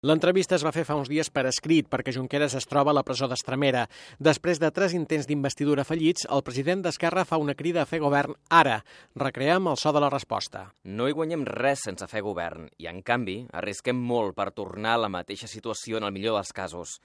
L'entrevista es va fer fa uns dies per escrit perquè Junqueras es troba a la presó d'Estremera. Després de 3 intents d'investidura fallits, el president d'Esquerra fa una crida a fer govern ara. Recreem el so de la resposta. No hi guanyem res sense fer govern i, en canvi, arrisquem molt per tornar a la mateixa situació en el millor dels casos.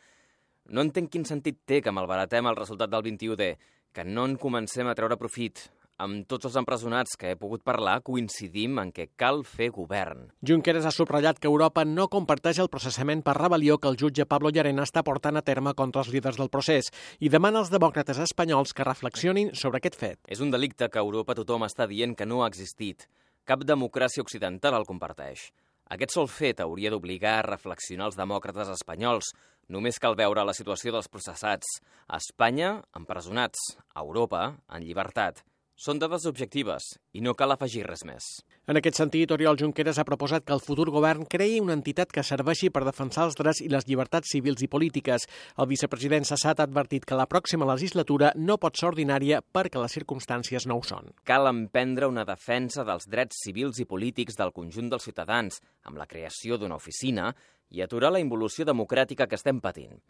No entenc quin sentit té que malbaratem el resultat del 21D, que no en comencem a treure profit. Amb tots els empresonats que he pogut parlar, coincidim en que cal fer govern. Junqueras ha subratllat que Europa no comparteix el processament per rebel·lió que el jutge Pablo Llarena està portant a terme contra els líders del procés i demana als demòcrates espanyols que reflexionin sobre aquest fet. És un delicte que a Europa tothom està dient que no ha existit. Cap democràcia occidental el comparteix. Aquest sol fet hauria d'obligar a reflexionar els demòcrates espanyols. Només cal veure la situació dels processats. A Espanya, empresonats. A Europa, en llibertat. Són dades objectives i no cal afegir res més. En aquest sentit, Oriol Junqueras ha proposat que el futur govern creï una entitat que serveixi per defensar els drets i les llibertats civils i polítiques. El vicepresident Sassat ha advertit que la pròxima legislatura no pot ser ordinària perquè les circumstàncies no ho són. Cal emprendre una defensa dels drets civils i polítics del conjunt dels ciutadans, amb la creació d'una oficina, i aturar la involució democràtica que estem patint.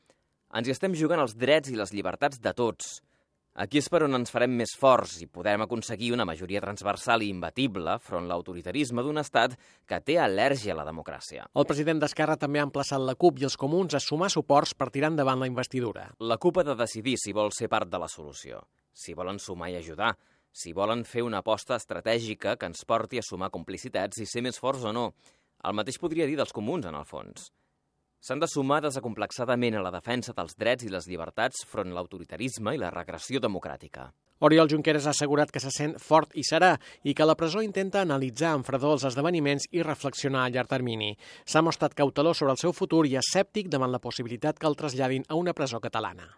Ens hi estem jugant els drets i les llibertats de tots. Aquí és per on ens farem més forts i podrem aconseguir una majoria transversal i imbatible front l'autoritarisme d'un estat que té al·lèrgia a la democràcia. El president d'Esquerra també ha emplaçat la CUP i els comuns a sumar suports per tirar endavant la investidura. La CUP ha de decidir si vol ser part de la solució, si volen sumar i ajudar, si volen fer una aposta estratègica que ens porti a sumar complicitats i ser més forts o no. El mateix podria dir dels comuns, en el fons. S'han de sumar desacomplexadament a la defensa dels drets i les llibertats front l'autoritarisme i la regressió democràtica. Oriol Junqueras ha assegurat que se sent fort i serà i que la presó intenta analitzar amb fredor els esdeveniments i reflexionar a llarg termini. S'ha mostrat cautelós sobre el seu futur i escèptic davant la possibilitat que el traslladin a una presó catalana.